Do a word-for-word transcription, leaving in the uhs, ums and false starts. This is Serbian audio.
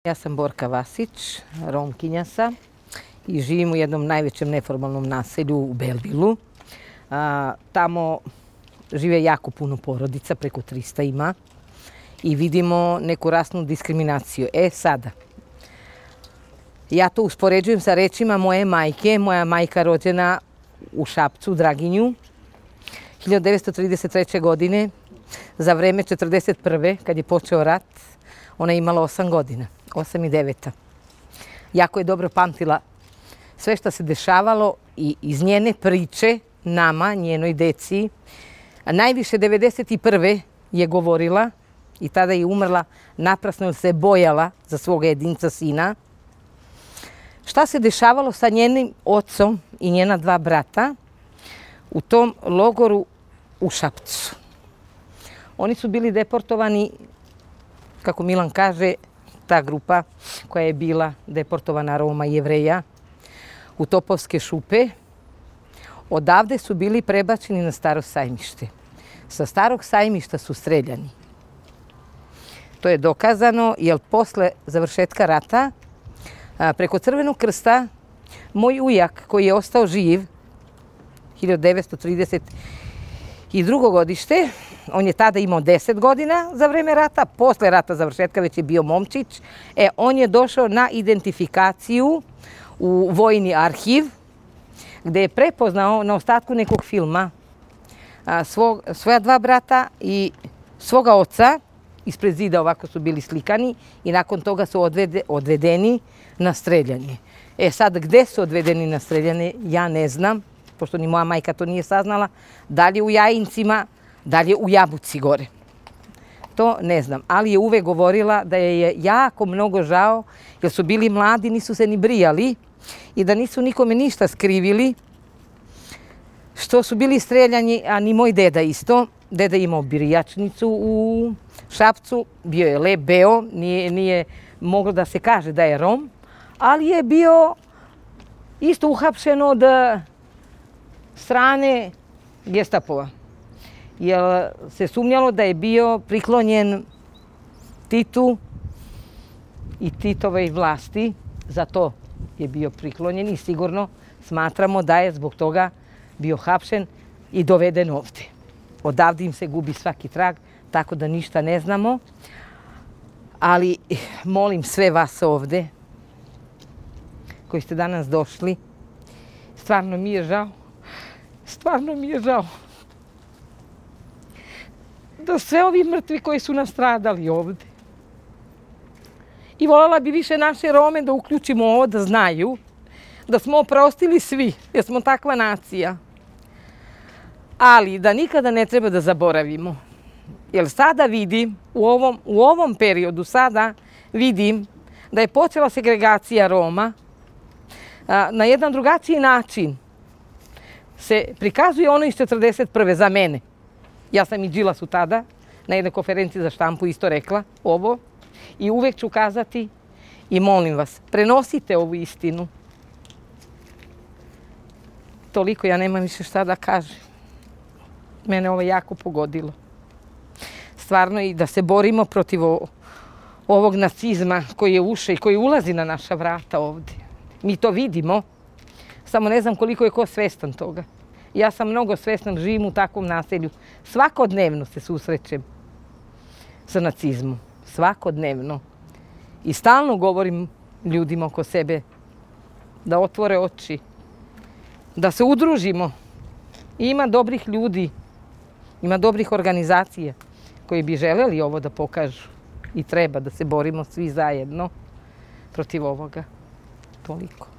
Ja sam Borka Vasić, Romkinja sam i živim u jednom najvećem neformalnom naselju u Belvilu. A, tamo žive jako puno porodica, preko trista ima i vidimo neku rasnu diskriminaciju. E sada, ja to uspoređujem sa rečima moje majke. Moja majka rođena u Šapcu, Draginju, hiljadu devetsto trideset treće. godine, za vreme četrdeset prve. kad je počeo rat, ona je imala osam godina, osam i deveta. Jako je dobro pamtila sve što se dešavalo i iz njene priče nama, njenoj deci. A najviše devedeset prve je govorila i tada je umrla naprasno jer se bojala za svoga jedinca sina. Šta se dešavalo sa njenim ocom i njena dva brata u tom logoru u Šapcu. Oni su bili deportovani, kako Milan kaže, ta grupa koja je bila deportovana Roma i Jevreja, u Topovske šupe. Odavde su bili prebačeni na Staro sajmište. Sa Starog sajmišta su streljani. To je dokazano jer posle završetka rata preko Crvenog krsta moj ujak koji je ostao živ hiljadu devetsto trideset drugo. godište, on je tada imao deset godina za vreme rata, posle rata završetka već je bio momčić, e, on je došao na identifikaciju u vojni arhiv gde je prepoznao na ostatku nekog filma a, svog, svoja dva brata i svoga oca. Ispred zida ovako su bili slikani i nakon toga su odvede, odvedeni na streljanje. E sad, gde su odvedeni na streljanje, ja ne znam, pošto ni moja majka to nije saznala, da li je u Jajincima, da li je u Jabuci gore. To ne znam, ali je uvek govorila da je jako mnogo žao, jer su bili mladi, nisu se ni brijali i da nisu nikome ništa skrivili, što su bili streljani, a ni moj deda isto. Deda je imao brijačnicu u Šapcu, bio je lep, beo, nije, nije moglo da se kaže da je Rom, ali je bio isto uhapšen od strane Gestapova. Jer se sumnjalo da je bio priklonjen Titu i Titovoj vlasti, zato je bio priklonjen i sigurno smatramo da je zbog toga bio hapšen i doveden ovde. Odavde im se gubi svaki trag, tako da ništa ne znamo. Ali molim sve vas ovde, koji ste danas došli, stvarno mi je žao, stvarno mi je žao da sve ovi mrtvi koji su nastradali ovde. I voljela bi više naše Rome da uključimo ovo, da znaju da smo oprostili svi, jer smo takva nacija. Ali da nikada ne treba da zaboravimo. Jer sada vidim, u ovom, u ovom periodu sada vidim da je počela segregacija Roma. A, na jedan drugačiji način se prikazuje ono iz četrdeset prve za mene. Ja sam i Đilasu tada na jednoj konferenciji za štampu isto rekla ovo. I uvek ću kazati i molim vas, prenosite ovu istinu. Toliko, ja nemam više šta da kažem. Mene ovo jako pogodilo. Stvarno i da se borimo protiv ovog nacizma koji je ušao i koji ulazi na naša vrata ovde. Mi to vidimo, samo ne znam koliko je ko svestan toga. Ja sam mnogo svestan, živim u takvom naselju. Svakodnevno se susrećem sa nacizmom. Svakodnevno. I stalno govorim ljudima oko sebe da otvore oči, da se udružimo. I ima dobrih ljudi, ima dobrih organizacija koji bi želeli ovo da pokažu. I treba da se borimo svi zajedno protiv ovoga. Toliko.